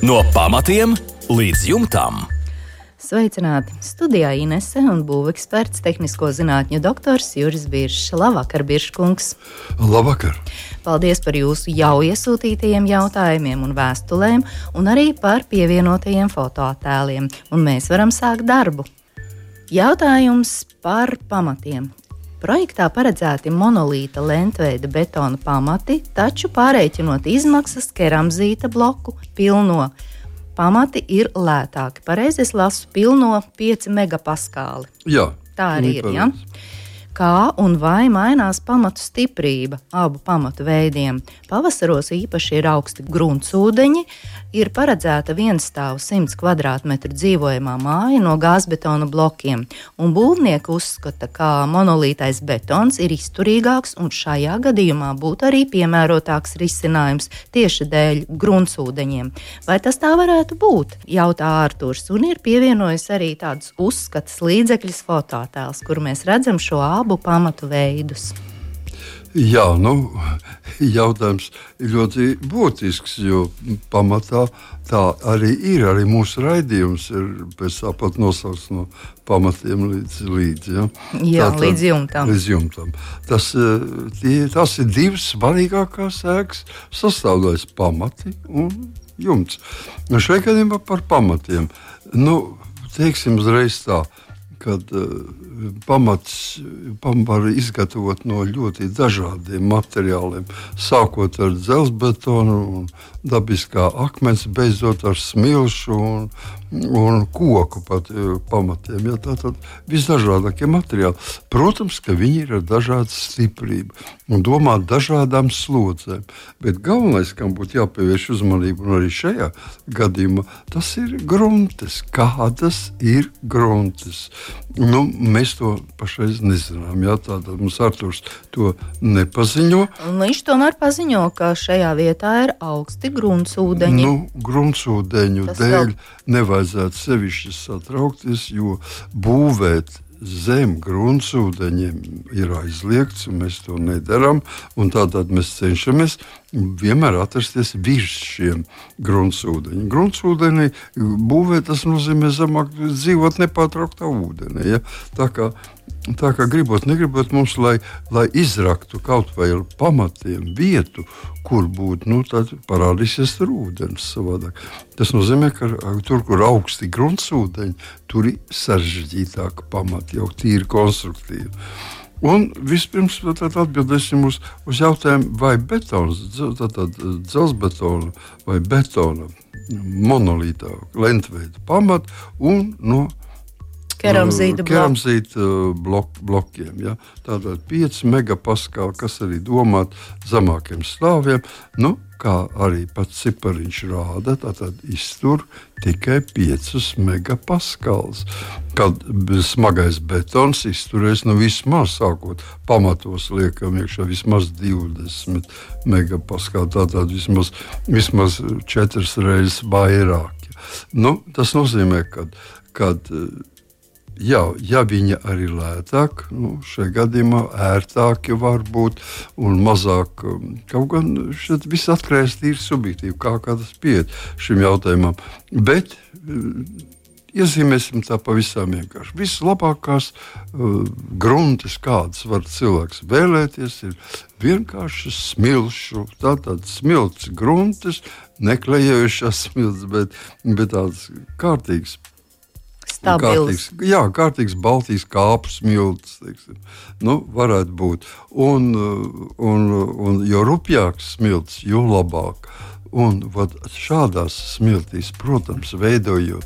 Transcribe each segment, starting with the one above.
No pamatiem līdz jumtam. Sveicināti! Studijā Inese un būveksperts, tehnisko zinātņu doktors Juris Biršs. Labvakar, Birškungs! Labvakar! Paldies par jūsu jau iesūtītajiem jautājumiem un vēstulēm, un arī par pievienotajiem fotoattēliem. Un mēs varam sākt darbu. Jautājums par pamatiem. Projektā paredzēti monolīta lentveida betona pamati, taču pārreikinot izmaksas keramzīta bloku pilno pamati ir lētāki. Pareizi es lasu pilno 5 megapaskāli. Jā. Tā arī ir, ja? Kā un vai mainās pamatu stiprība abu pamatu veidiem? Pavasaros īpaši ir augsti gruntsūdeņi, ir paredzēta vienstāvu 100 kvadrātmetru dzīvojamā māja no gāzbetona blokiem, un būvnieki uzskata, ka monolītais betons ir izturīgāks un šajā gadījumā būtu arī piemērotāks risinājums tieši dēļ gruntsūdeņiem. Vai tas tā varētu būt? Jautā Ārturs, un ir pievienojis arī tādus uzskatas līdzekļus fotoattēls, kur mēs redzam šo abu pamatu veidus. Jā, jautājums ir ļoti būtisks, jo pamatā tā arī ir. Arī mūsu raidījums ir pēc tāpat nosaukts no pamatiem līdz ja? Jā, līdz jumtam. Tas ir divas svarīgākās ēkas sastāvdaļas – pamati un jumts. Šajā gadījumā par pamatiem. Teiksim uzreiz tā, kad pamats var izgatavot no ļoti dažādiem materiāliem, sākot ar dzelzbetonu un dabiskā akmens, beidzot ar smilšu un koku pat pamatiem. Ja, tātad visdažādākie materiāli. Protams, ka viņi ir ar dažādu stiprību un domā dažādām slodzēm, bet galvenais, kam būtu jāpievērš uzmanību, un arī šajā gadījumā, tas ir gruntes. Kādas ir gruntes? Mēs to pašreiz nezinām. Jā, tātad mums Arturs to nepaziņo. Viņš tomēr paziņo, ka šajā vietā ir augsti gruntsūdeņi. Gruntsūdeņu dēļ nevajadzētu sevišķi satraukties, jo būvēt zem gruntsūdeņiem ir aizliegts, un mēs to nedaram. Tātad mēs cenšamies vienmēr atrasties virs šiem gruntsūdeņiem. Gruntsūdenī būvēt, tas nozīmē zemāk dzīvot nepārtrauktā ūdenī. Ja? Tā kā gribot, negribot mums, lai izraktu kaut vai ar pamatiem vietu, kur būtu, tad parādīsies tur ūdens savādāk. Tas nozīmē, ka tur, kur augsti gruntsūdeņi, tur ir sarežģītāka pamata, jau tīri konstruktīva. Un vispirms atbildēsim uz jautājumu, vai betons, tātad dzelzbetona vai betona monolītā lentveida pamata un no keramzīta blokiem. Ja? Tātad 5 megapaskāli, kas arī domāt zemākiem stāviem, kā arī pats cipariņš rāda, tātad iztur tikai 5 megapaskāls. Kad smagais betons izturēs vismaz, sākot pamatos liekam iekšā vismaz 20 megapaskāli, tātad vismaz 4 reizes vairāk. Tas nozīmē, kad ja viņa arī lētāk, šajā gadījumā ērtāki var būt un mazāk, kaut gan šeit viss atkarīgs tīri subjektīvi, kā tas pieiet šim jautājumam. Bet iezīmēsim tā pavisam vienkārši. Vislabākās gruntes, kādas var cilvēks vēlēties, ir vienkārši smilšu, tātad smilts gruntes, neklejējušās smilts, bet tāds kārtīgs. Kārtīgs Baltijas kāpu smilts, varētu būt. Un jo rupjāks smilts, jo labāk. Un šādās smiltīs, protams, veidojot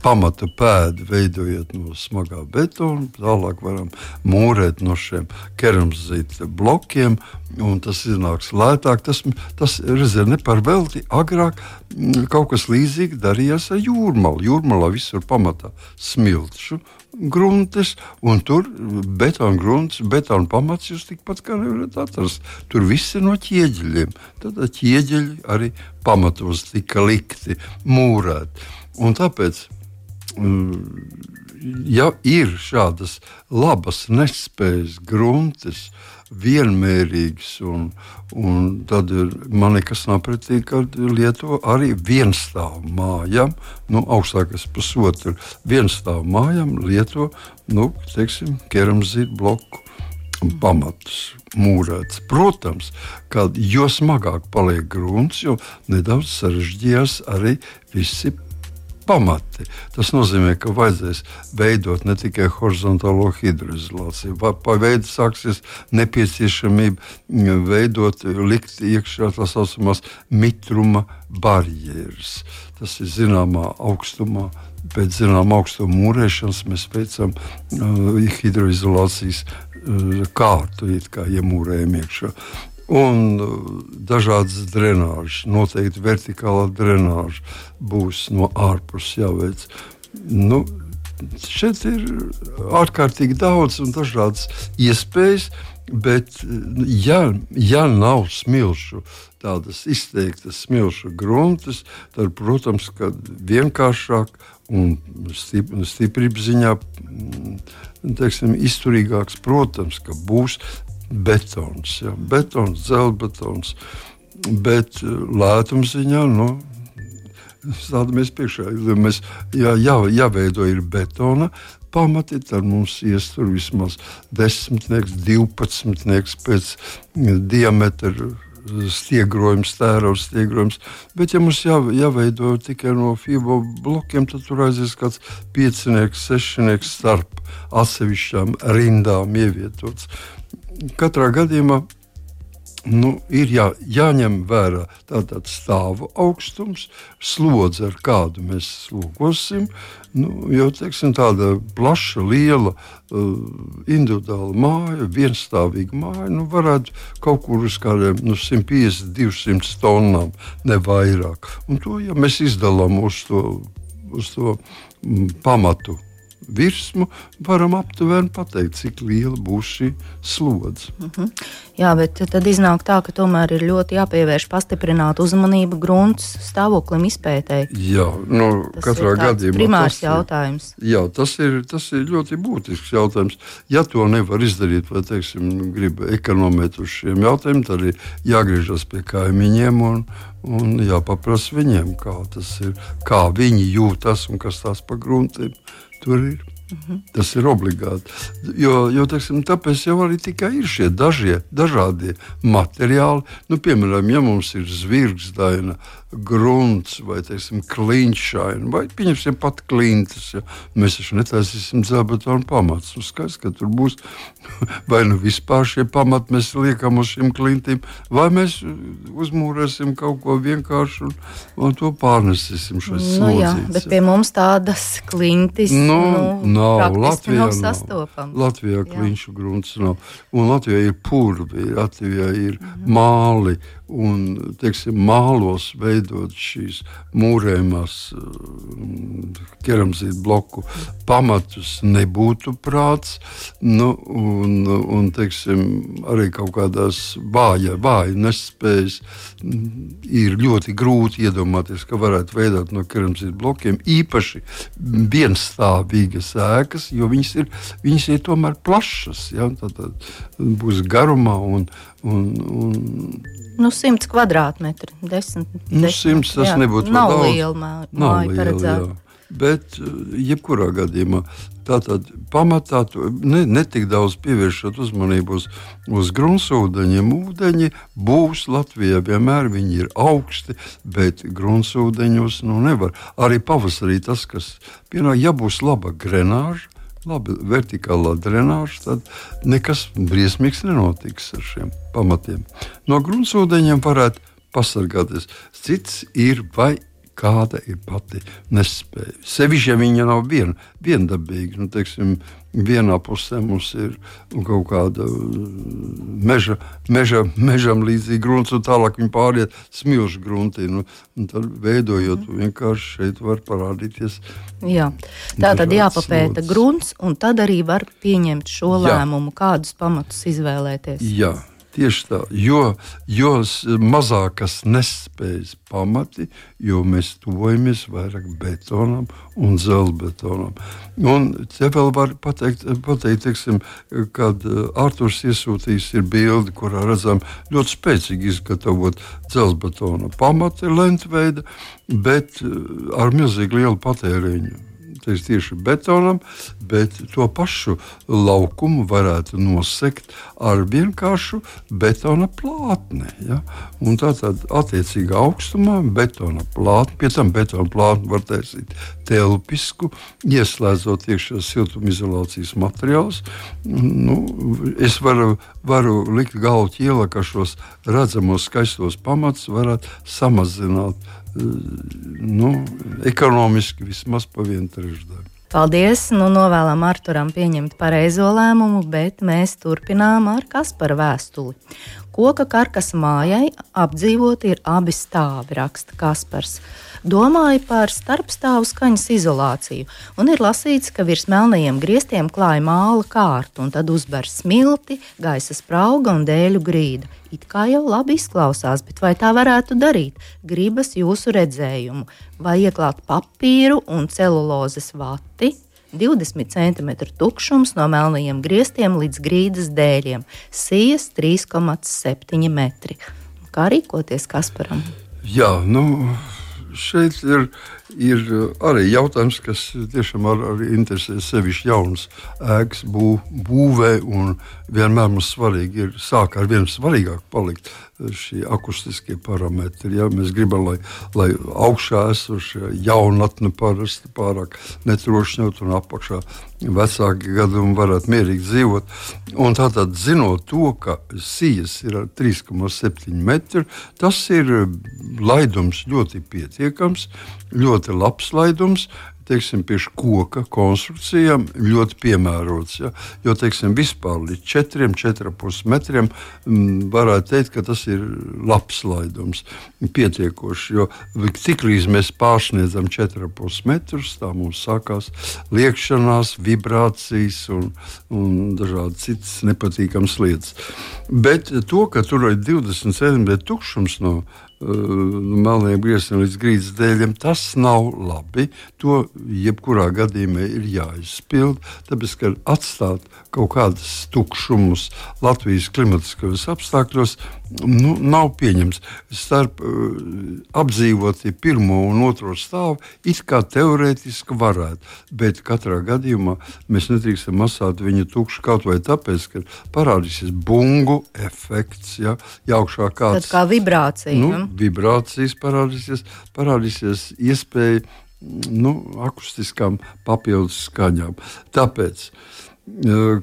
pamata pēdu, veidojot no smagā betona, tālāk varam mūrēt no šiem keramzīta blokiem, un tas iznāks lētāk. Tas reizē ne par velti, agrāk kaut kas līdzīgi darījās ar jūrmalu. Jūrmalā visur pamatā smilšu gruntes, un tur betona grunts, betona pamats jūs tikpat kā nevarat atrast. Tur viss ir no ķieģeļiem. Tad ķieģeļi arī pamatos tika likti, mūrēti. Un tāpēc ja ir šādas labas nespējas gruntes, vienmērīgs, un tad man nekas nav pretī, kad lieto arī vienstāvu mājām, augstākais pusotru vienstāvu mājām lieto, teiksim, keramzītu bloku pamatus mūrēts. Protams, kad jo smagāk paliek grunts, jo nedaudz sarežģījās arī visi pamati. Tas nozīmē, ka vajadzēs veidot ne tikai horizontālo hidroizolāciju, pa veidu sāksies nepieciešamība likt iekšā tā saucamās mitruma barjeras. Tas ir zināmā augstumā. Pēc zināmā augstuma mūrēšanas mēs veicam hidroizolācijas kārtu, kā iemūrējam iekšā. Un dažādas drenāžas, noteikti vertikālā drenāža būs no ārpuses jāveic. Šeit ir ārkārtīgi daudz un dažādas iespējas, bet ja nav smilšu, tādas izteiktas smilšu gruntes, tad, protams, ka vienkāršāk un stiprības ziņā, teiksim, izturīgāks, protams, ka būs betons, betons, dzelzbetons, bet lētuma ziņā, stādamies priekšā, jāveido ir betona pamati, tad mums iestur vismaz 10, 12 pēc diametra stiegrojums, tērauds stiegrojums, bet ja mums jāveido tikai no fibo blokiem, tad tur aizies kāds 5, 6 starp atsevišķām rindām ievietots. Katrā gadījumā ir jāņem vērā tātad stāvu augstums, slodze, ar kādu mēs slogosim, jo, teiksim, tāda plaša, liela, individuāla māja, vienstāvīga māja, varētu kaut kur uz kādiem 150, 200 tonnām, ne vairāk. Un to, ja mēs izdalām uz to pamatu virsmu, varam aptuveni pateikt, cik liela būs šī slodze. Jā, bet tad iznāk tā, ka tomēr ir ļoti jāpievērš pastiprināta uzmanība grunts stāvoklim izpētēji. Jā, katrā gadījumā. Primārs jautājums. Jā, tas ir ļoti būtisks jautājums. Ja to nevar izdarīt, vai, teiksim, grib ekonomēt uz šiem jautājumiem, tad ir jāgriežas pie kaimiņiem un jāpaprasa viņiem, kā tas ir, kā viņi jūtas un kas tās pa gruntiem tur ir. Tas ir obligāti. Jo teiksim, tāpēc jau arī tikai ir šie dažādie materiāli. Piemēram, ja mums ir zvirgzdaina grunts vai, teiksim, kliņšaina, vai pieņemsim pat klintas, mēs taču netaisīsim dzelzbetonu pamatus. Skaidrs, ka tur būs vai vispār šie pamati mēs liekam uz šīm klintīm, vai mēs uzmūrēsim kaut ko vienkāršu un to pārnesīsim šais slodzītes. Jā, bet pie mums tādas klintis praktiski nav sastopams. Latvijā kliņšu grunts nav. Un Latvijā ir purvi, Latvijā ir māli, un, teiksim, mālos veidot šīs mūrējumās keramzītu bloku pamatus nebūtu prāts, un teiksim, arī kaut kādās vāja nespējas ir ļoti grūti iedomāties, ka varētu veidot no keramzītu blokiem īpaši vienstāvīgas ēkas, jo viņas ir tomēr plašas, tad būs garumā un 100 kvadrātmetri, 10. 100 tas nebūtu nav daudz. Liela māja paredzēta. Bet jebkurā gadījumā tātad pamatā netik daudz pievēršot uzmanību uz gruntsūdeņiem. Ūdeņi būs Latvijā vienmēr, viņi ir augsti, bet gruntsūdeņos nevar. Arī pavasarī tas, kas pienāk, ja būs laba grenāža, labi vertikālā drenāža, tad nekas briesmīgs nenotiks ar šiem pamatiem. No gruntsūdeņiem varētu pasargāties. Cits ir, vai kāda ir pati nespēja. Sevišķi, ja viņa nav viendabīga. Teiksim, vienā pusē mums ir kaut kāda mežam līdzīga grunts, un tālāk viņa pāriet smilšu gruntī. Tad veidojot, vienkārši šeit var parādīties. Jā, tā tad jāpapēta grunts, un tad arī var pieņemt šo lēmumu, kādus pamatus izvēlēties. Jā. Tieši tā, jo mazākas nespējas pamati, jo mēs tuvojamies vairāk betonam un dzelzbetonam. Un te vēl var pateikt teiksim, kad Arturs iesūtījis ir bildi, kurā redzam ļoti spēcīgi izgatavot dzelzbetona pamati lentveida, bet ar milzīgi lielu patēriņu. Tieši betonam, bet to pašu laukumu varētu nosegt ar vienkāršu betona plātni. Ja? Un tātad attiecīgā augstumā betona plātni, pie tam betona plātni var taisīt telpisku, ieslēdzot iekšā siltumizolācijas materiālus. Es varu likt galvu ķielā, ka šos redzamos skaistos pamatus varētu samazināt ekonomiski vismaz pa 1/3. Paldies! Novēlam Arturam pieņemt pareizo lēmumu, bet mēs turpinām ar Kaspara vēstuli. Koka karkasa mājai apdzīvoti ir abi stāvi, raksta Kaspars. Domāju par starpstāvu skaņas izolāciju, un ir lasīts, ka virs melnajiem griestiem klāja māla kārta, un tad uzber smilti, gaisa sprauga un dēļu grīda. It kā jau labi izklausās, bet vai tā varētu darīt? Gribas jūsu redzējumu. Vai ieklāt papīru un celulozes vati, 20 cm tukšums no melnajiem griestiem līdz grīdas dēļiem, sijas 3,7 metri. Kā rīkoties Kasparam? Jā, šeit ir arī jautājums, kas tiešām arī interesē sevišķi jaunas ēkas būvē, un vienmēr mums svarīgi ir sāk ar vienu svarīgāk palikt šie akustiskie parametri. Ja? Mēs gribam, lai augšā esošie jaunatni parasti pārāk netrošņot un apakšā vecāki gadījumi varētu mierīgi dzīvot. Un tātad zinot to, ka sijas ir 3,7 metri, tas ir laidums ļoti pietiekams, ļoti labs laidums, teiksim, pie koka konstrukcijām ļoti piemērots. Ja? Jo, teiksim, vispār līdz 4,5 metriem varētu teikt, ka tas ir labs laidums, pietiekoši. Jo tiklīdz mēs pārsniedzam 4,5 metrus, tā mums sākās liekšanās, vibrācijas un dažādi citas nepatīkamas lietas. Bet to, ka tur ir 20 cm tukšums no melniem griestiem līdz grīdas dēļiem, tas nav labi. To jebkurā gadījumā ir jāizpild, tāpēc, ka atstāt kaut kādus tukšumus Latvijas klimatiskajos apstākļos nav pieņems. Starp apdzīvoti pirmo un otro stāvu it kā teorētiski varētu, bet katrā gadījumā mēs nedrīkstam atstāt viņu tukšu kaut vai tāpēc, ka parādīsies bungu efekts, ja augšā kāds... Tad kā vibrācija. Vibrācijas parādīsies iespēja akustiskām papildus skaņām. Tāpēc,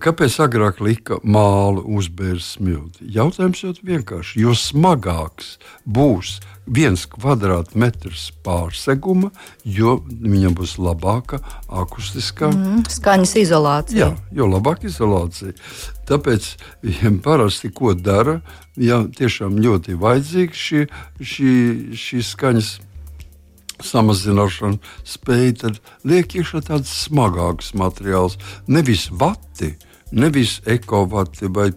kāpēc agrāk lika mālu uzbērt smilti? Jautājums ļoti vienkārši. Jo smagāks būs 1 kvadrātmetrs pārseguma, jo viņam būs labāka akustiskā skaņas izolācija. Jā, jo labāka izolācija. Tāpēc parasti ko dara, ja tiešām ļoti vajadzīgs šī skaņas samazināšana spēja, tad liek iekšā tāds smagāks materiāls, nevis vati, nevis ekovati vai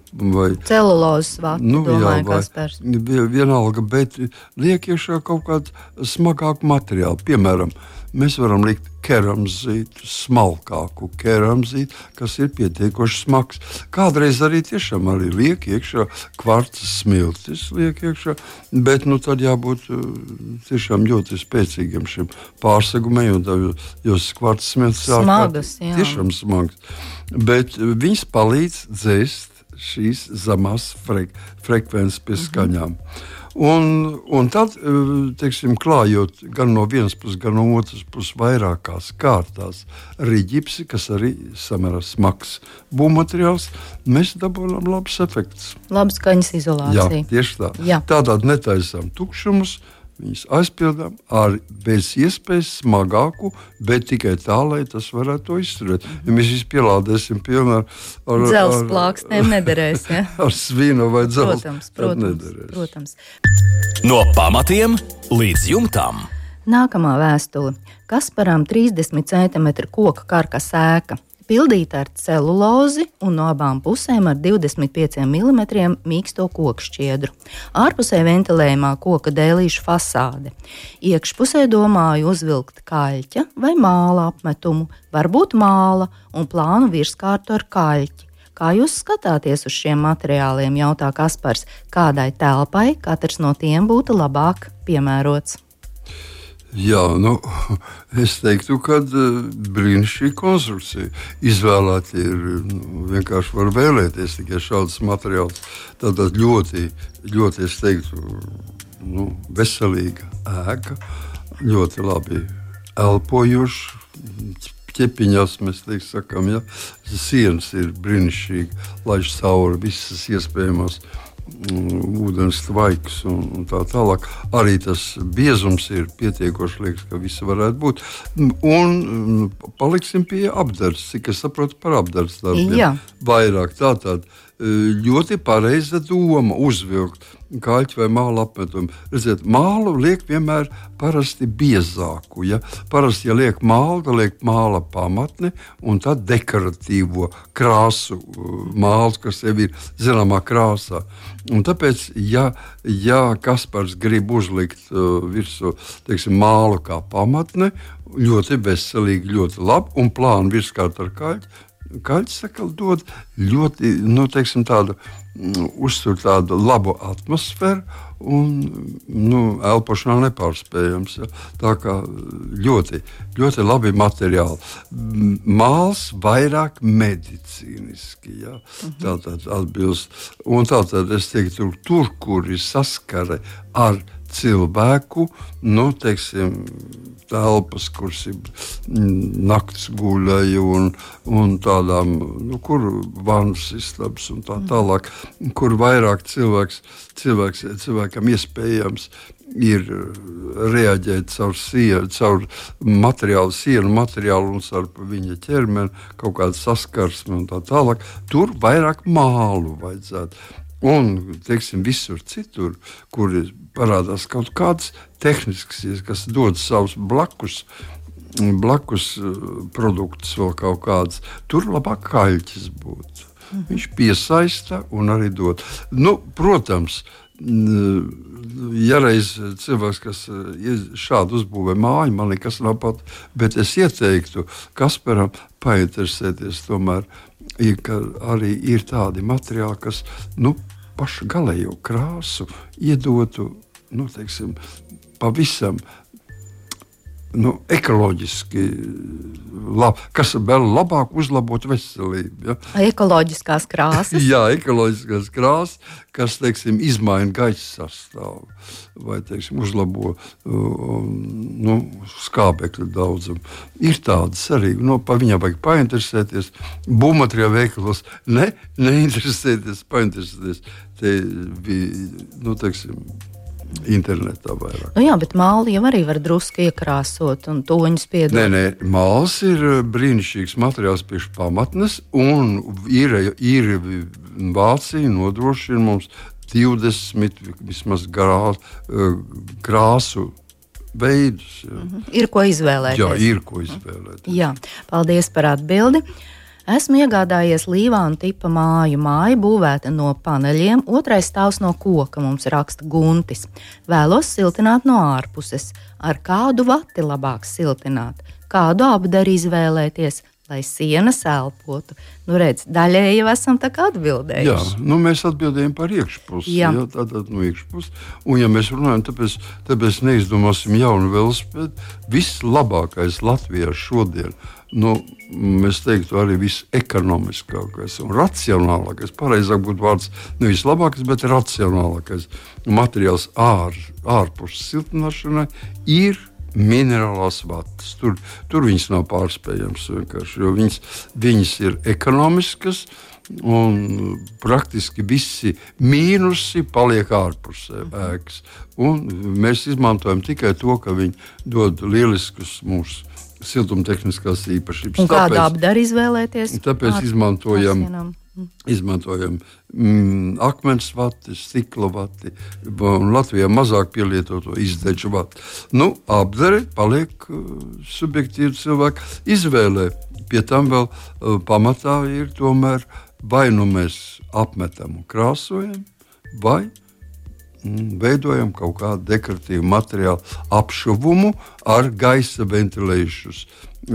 celulozes vati, domāju, Kaspars. Vienalga, bet liek iekšā kaut kādu smagāku materiālu. Piemēram, mēs varam likt keramzītu, smalkāku keramzītu, kas ir pietiekoši smags. Kādreiz arī tiešām liek iekšā kvarca smiltis, bet tad jābūt tiešām ļoti spēcīgiem šim pārsegumiem, jo kvarca smiltis smagas, tiešām smags. Bet viņas palīdz dzēst šīs zemās frekvences pie skaņām. Un tad, teiksim, klājot gan no vienas puses, gan no otras puses vairākās kārtās riģipsi, kas arī samērā smags būvmateriāls, mēs dabūjam labs efekts. Labs skaņas izolācija. Jā, tieši tā. Jā. Tādā netaisām tukšumus, viņus aizpildām ar bez iespējas smagāku, bet tikai tā, lai tas varētu to izturēt. Ja mēs visi pielādēsim pilnā ar dzelzs plāksnēm nederēs, ja? Ar svinu vai dzelzs, tad nederēs. Protams. No pamatiem līdz jumtam. Nākamā vēstule. Kasparam 30 cm koka karkas ēka. Pildīta ar celulozi un no abām pusēm ar 25 mm mīksto kokšķiedru. Ārpusē ventilējumā koka dēlīšu fasāde. Iekšpusē domāju uzvilkt kaļķa vai māla apmetumu, varbūt māla un plānu virskārtu ar kaļķi. Kā jūs skatāties uz šiem materiāliem, jautā Kaspars, kādai telpai katrs no tiem būtu labāk piemērots? Jā, es teiktu, ka brīnišķīga konstrukcija. Izvēlēt ir vienkārši var vēlēties tikai šādus materiālus. Tātad ļoti, es teiktu, veselīga ēka, ļoti labi elpojoša. Ķepiņās mēs sakām, ja sienas ir brīnišķīgi, laiž cauri visas iespējamās ūdens tvaiks un tā tālāk. Arī tas biezums ir pietiekoši, liekas, ka visi varētu būt. Un paliksim pie apdarts, cik es saprotu par apdarts darbiem. Jā. Vairāk tātad ļoti pareiza doma uzvilkt kaļķi vai māla apmetumu. Redziet, mālu liek vienmēr parasti biezāku. Ja? Parasti, ja liek mālu, tad liek māla pamatni un tad dekoratīvo krāsu māls, kas jau ir zināmā krāsā. Un tāpēc, ja Kaspars grib uzlikt virsū, teiksim, mālu kā pamatne, ļoti veselīgi, ļoti labi un plānu virskārt ar kaļķi, kaļķis dod ļoti, tādu uztur tādu labu atmosfēru un elpošanā nepārspējams. Ja. Tā kā ļoti, ļoti labi materiāli. Māls vairāk medicīniski, ja. Tātad atbilst. Un tātad es teiktu, tur, kur ir saskare ar cilvēku, telpas, kuras ir nakts guļai un tādām, kur vannas istabas un tā tālāk, kur vairāk cilvēkam iespējams ir reaģēt caur sienu materiālu un caur viņa ķermeni, kaut kādu saskarsmi un tā tālāk. Tur vairāk mālu vajadzētu. Un, visur citur, kur parādās kaut kāds tehnisks, kas dod savus blakus produktus vēl kaut kāds, tur labāk kaļķis būtu. Viņš piesaista un arī dod. Protams, ja reiz cilvēks, kas šādu uzbūvē māju, man nekas nav pat, bet es ieteiktu Kasparam painteresēties tomēr, ka arī ir tādi materiāli, kas, pašu galējo krāsu iedotu, pavisam ekoloģiski labi, kas vēl labāk uzlabot veselību. Ja? Ekoloģiskās krāsas? Jā, ekoloģiskās krāsas, kas, izmaina gaisa sastāvu vai, uzlabo skābekļa daudzumu. Ir tādas arī, pa viņām vajag painteresēties. Būvmateriālu veikalos neinteresēties, painteresēties. Te bija, internetā vairāk. Jā, bet māli jau arī var drusku iekrāsot un toņus piedot. Nē, māls ir brīnišķīgs materiāls priekš pamatnes, un ir Vācija nodrošina mums 20 vismaz krāsu veidus. Ja. Ir ko izvēlēties. Jā, ir ko izvēlēties. Jā, paldies par atbildi. Esmu iegādājies Līvānu tipa māju. Māja būvēta no paneļiem, otrais stāvs no koka, mums raksta Guntis. Vēlos siltināt no ārpuses. Ar kādu vati labāk siltināt? Kādu apdari izvēlēties, lai sienas elpotu? Redz, daļēji jau esam tā kā atbildējuši. Jā, mēs atbildējam par iekšpusi. Jā. Tātad no iekšpusi. Un ja mēs runājam, tāpēc neizdomāsim jaunu velosipēdu. Vislabākais Latvijā šodien, mēs teiktu, arī visekonomiskākais un racionālākais, pareizāk būtu vārds nevis labākais, bet racionālākais materiāls ārpus siltināšanai ir minerālās vatas. Tur viņas nav pārspējams vienkārši, jo viņas ir ekonomiskas un praktiski visi mīnusi paliek ārpusē ēkas. Un mēs izmantojam tikai to, ka viņi dod lieliskus mūsu siltumtehniskās īpašības. Un kādu apdari izvēlēties? Tāpēc izmantojam izmantojam akmens vati, stikla vati, un Latvijā mazāk pielietoto izdedžu vati. Apdare paliek subjektīvi cilvēku izvēlē. Pie tam vēl pamatā ir tomēr vai nu mēs apmetam un krāsojam, vai veidojam kaut kādu dekoratīvu materiālu apšuvumu ar gaisa ventilējušu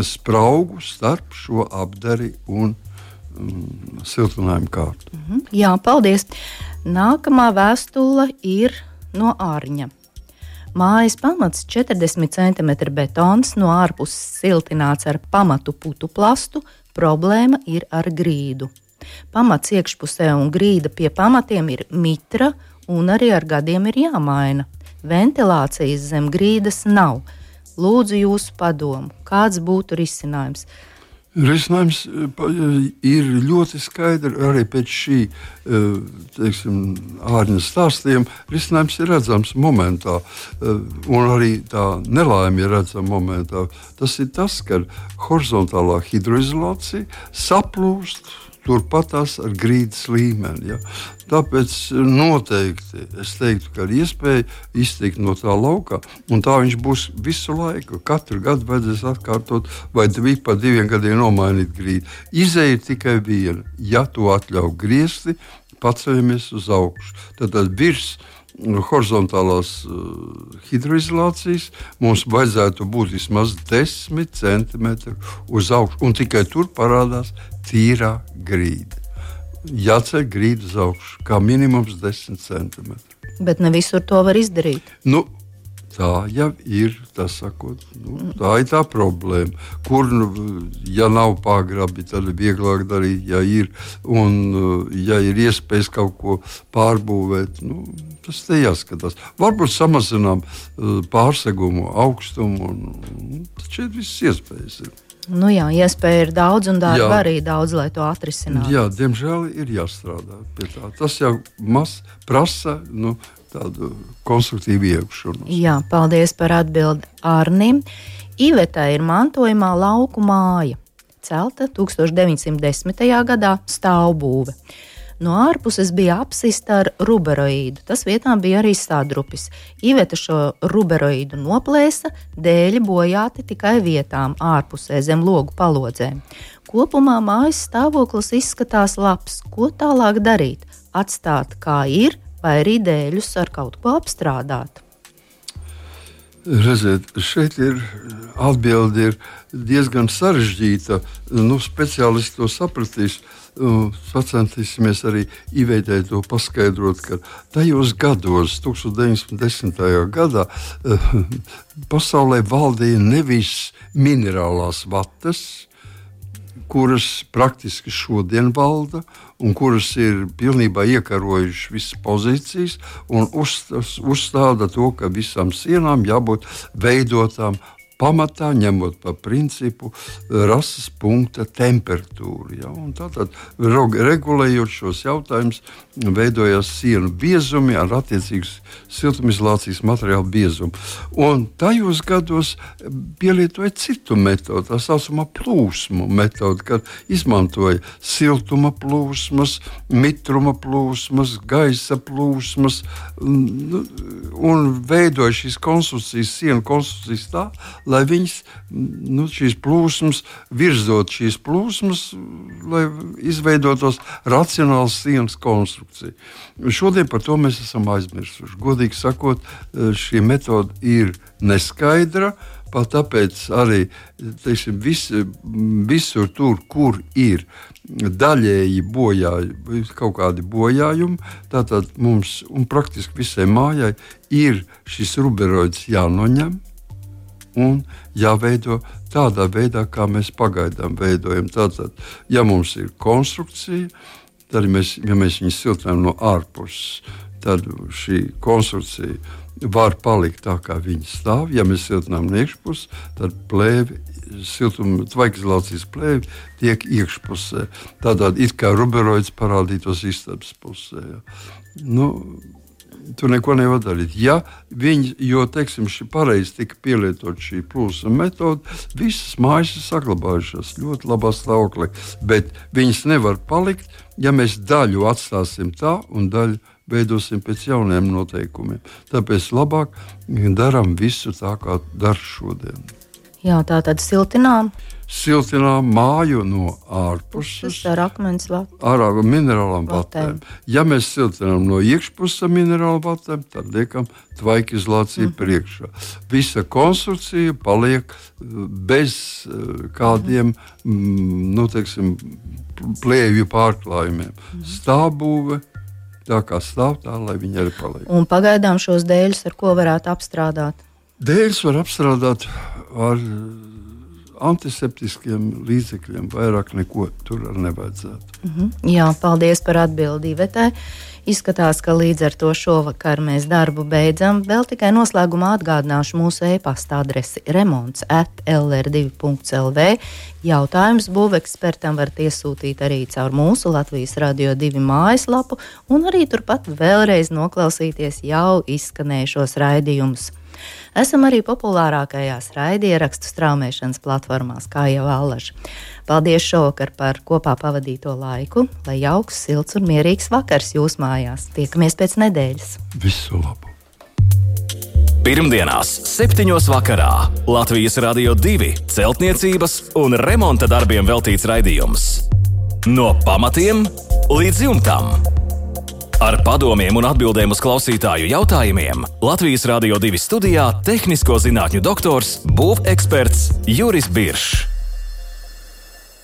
spraugu starp šo apdari un siltinājumu kārtu. Jā, paldies. Nākamā vēstule ir no Ārņa. Mājas pamats 40 cm betons, no ārpuses siltināts ar pamatu putu plastu, problēma ir ar grīdu. Pamats iekšpusē un grīda pie pamatiem ir mitra un arī ar gadiem ir jāmaina. Ventilācijas zem grīdas nav. Lūdzu jūsu padomu, kāds būtu risinājums? Risinājums ir ļoti skaidrs arī pēc šī Ārņa stāstījuma. Risinājums ir redzams momentā, un arī tā nelaime ir redzama momentā. Tas ir tas, ka horizontālā hidroizolācija saplūst turpatās ar grīdas līmeni. Ja? Tāpēc noteikti es teiktu, ka ir iespēja iztikt no tā laukā, un tā viņš būs visu laiku. Katru gadu vajadzēs atkārtot, vai pa 2 gadiem nomainīt grīdu. Izeja ir tikai viena. Ja to atļauj griezti, paceļamies uz augšu. Tad virs horizontālās hidroizolācijas mums vajadzētu būt vismaz 10 cm uz augšu, un tikai tur parādās tīrā grīda. Jāceļ grīda uz augšu, kā minimums 10 cm. Bet ne visur to var izdarīt. Tā jau ir, tā ir tā problēma. Kur, ja nav pagrabi, tad ir vieglāk darīt, ja ir. Un, ja ir iespējas kaut ko pārbūvēt, tas te jāskatās. Varbūt samazinām pārsegumu, augstumu, un šeit viss iespējas ir. Jā, iespēja ir daudz, un darba arī daudz, lai to atrisinātu. Jā, diemžēl ir jāstrādā pie tā. Tas jau prasa tādu konstruktīvu iekšanu. Jā, paldies par atbildi Ārnim. Ivetā ir mantojumā lauku māja. Celta 1910. gadā, stāvbūve. No ārpuses bija apsista ar ruberoīdu. Tas vietā bija arī sādrupis. Iveta šo ruberoīdu noplēsa, dēļi bojāti tikai vietām ārpusē zem logu palodzēm. Kopumā mājas stāvoklis izskatās labs. Ko tālāk darīt? Atstāt kā ir, vai arī dēļus ar kaut ko apstrādāt? Redziet, šeit ir atbilde diezgan sarežģīta. Speciālisti to sapratīs. Pacentīsimies arī Ivetai to paskaidrot, ka tajos gados, 1910. gadā, pasaulē valdīja nevis minerālās vatas, kuras praktiski šodien valda un kuras ir pilnībā iekarojušas visas pozīcijas un uzstāda to, ka visām sienām jābūt veidotām pamatā, ņemot par principu rases punkta temperatūru. Ja? Tātad, regulējot šos jautājumus, veidojās sienu biezumi ar attiecīgu siltumizolācijas materiālu biezumu. Un tajos gados pielietoja citu metodu, tā saucamā plūsmu metodu, kad izmantoja siltuma plūsmas, mitruma plūsmas, gaisa plūsmas un veidoja šīs konstrukcijas, sienu konstrukcijas tā, lai viņas, šīs plūsmas, virzot šīs plūsmas, lai izveidotos racionāls sienas konstrukcija. Šodien par to mēs esam aizmirsuši. Godīgi sakot, šī metode ir neskaidra, pat tāpēc arī, visur tur, kur ir daļēji bojājumi, kaut kādi bojājumi, tātad mums, un praktiski visai mājai, ir šis ruberoids jānoņem, un jāveido tādā veidā, kā mēs pagaidām veidojam. Tātad, ja mums ir konstrukcija, tad, ja mēs viņu siltinām no ārpuses, tad šī konstrukcija var palikt tā, kā viņa stāv. Ja mēs siltinām no iekšpuses, tad tvaikizolācijas plēvi tiek iekšpusē. Tātad it kā ruberoids parādītos istabas pusē. Ja. tu neko nevar darīt. Ja viņi, jo, teiksim, pareizi tika pielietot šī plūsma metode, visas mājas ir saglabājušās ļoti labā stāvoklī, bet viņas nevar palikt, ja mēs daļu atstāsim tā un daļu veidosim pēc jauniem noteikumiem. Tāpēc labāk darām visu tā, kā dara šodien. Jā, tā tad siltinām. Siltinām māju no ārpuses ar akmens vatēm. Ar minerālām vatēm. Ja mēs siltinām no iekšpuses ar minerālām vatēm, tad liekam tvaikizolāciju priekšā. Visa konstrukcija paliek bez kādiem, teiksim, plēvju pārklājumiem. Stāvbūve, tā kā stāv tā, lai viņi arī paliek. Un pagaidām šos dēļus ar ko varētu apstrādāt? Dēļus var apstrādāt ar antiseptiskiem līdzekļiem, vairāk neko tur nevajadzētu. Jā, paldies par atbildi Ivetai. Izskatās, ka līdz ar to šovakar mēs darbu beidzam. Vēl tikai noslēgumā atgādināšu mūsu e-pasta adresi remonts@lr2.lv. Jautājums būvekspertam varat iesūtīt arī caur mūsu Latvijas Radio 2 mājaslapu un arī turpat vēlreiz noklausīties jau izskanējušos raidījumus. Esam arī populārākajās raidierakstu straumēšanas platformās, kā jau allaž. Paldies šovakar par kopā pavadīto laiku, lai jauks, silts un mierīgs vakars jūs mājās. Tiekamies pēc nedēļas. Visu labu! Pirmdienās 7:00 vakarā Latvijas Radio 2 celtniecības un remonta darbiem veltīts raidījums. No pamatiem līdz jumtam. Ar padomiem un atbildēm uz klausītāju jautājumiem Latvijas Radio 2 studijā tehnisko zinātņu doktors, būveksperts Juris Biršs.